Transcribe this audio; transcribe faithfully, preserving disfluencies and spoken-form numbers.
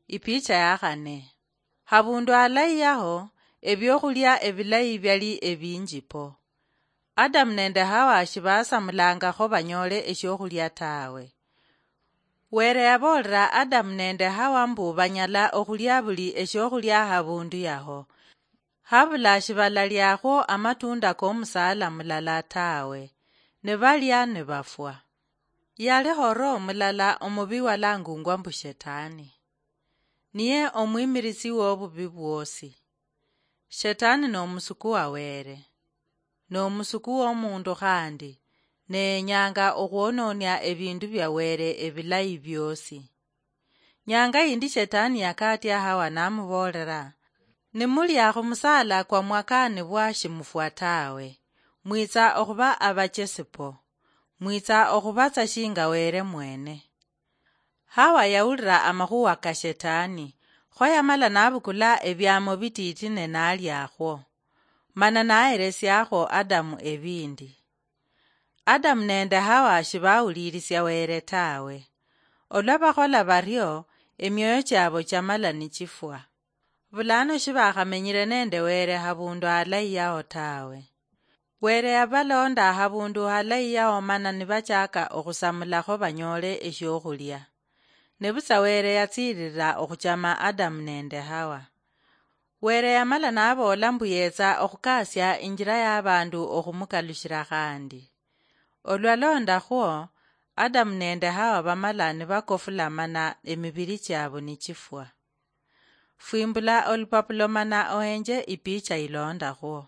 Ipicha ya khane. Habundu halayi yaho, ebiokhulia ebilayi biali ebinji po. Adamu nende Hawa shibasamulangakho banyoole eshiokhulia tawe. Were yaboolera Adamu nende Hawa mbu banyala okhulia buli eshiokhulia habundu yaho. Habula shibalaliakhwo amatunda komusaala mulala tawe, nibalia nibafwa. Yaliho roho mulala omubi walangungwa mbu Shetani. Niye omwimirisi wobubi bwosi. Shetani nomusuku wa Were. Nomusuku womundu khandi, ne yenyanga okhwononia ebindu bia Were ebilayi biosi. Nyanga yindi Shetani yakatia Hawa namuboolera, "Nimulia khumusaala kwa mwakaanibwa shimufwa tawe, mwitsa okhuba abachesi po, mwitsa okhubatsa shinga Were mwene." Hawa yawulira amakhuwa ka Shetani, kho yamala nabukula ebiamo bititi ne naliakhwo, mana naheresiakhwo Adamu ebindi. Adamu nende Hawa shibawulirisia Were tawe. Olwa bakhola bario, emioyo chiabo chamala nichifwa. Bulano shibakhamenyire nende Were habundu halayi yaho tawe. Were yabalonda habundu halayi yaho mana nibachaka okhusamulakho banyoole eshiokhulia. Nebutswa Were yatsiirira okhuchama Adamu nende Hawa. Were yamala naboola mbu yetsa okhukasia injira yabandu okhumukalushira khandi. Olwalondakhwo, Adamu nende Hawa bamala nibakofula mana emibiri chiabu nichifwa. Fwimbula olupapulo mana ohenje ipicha ilondakhwo.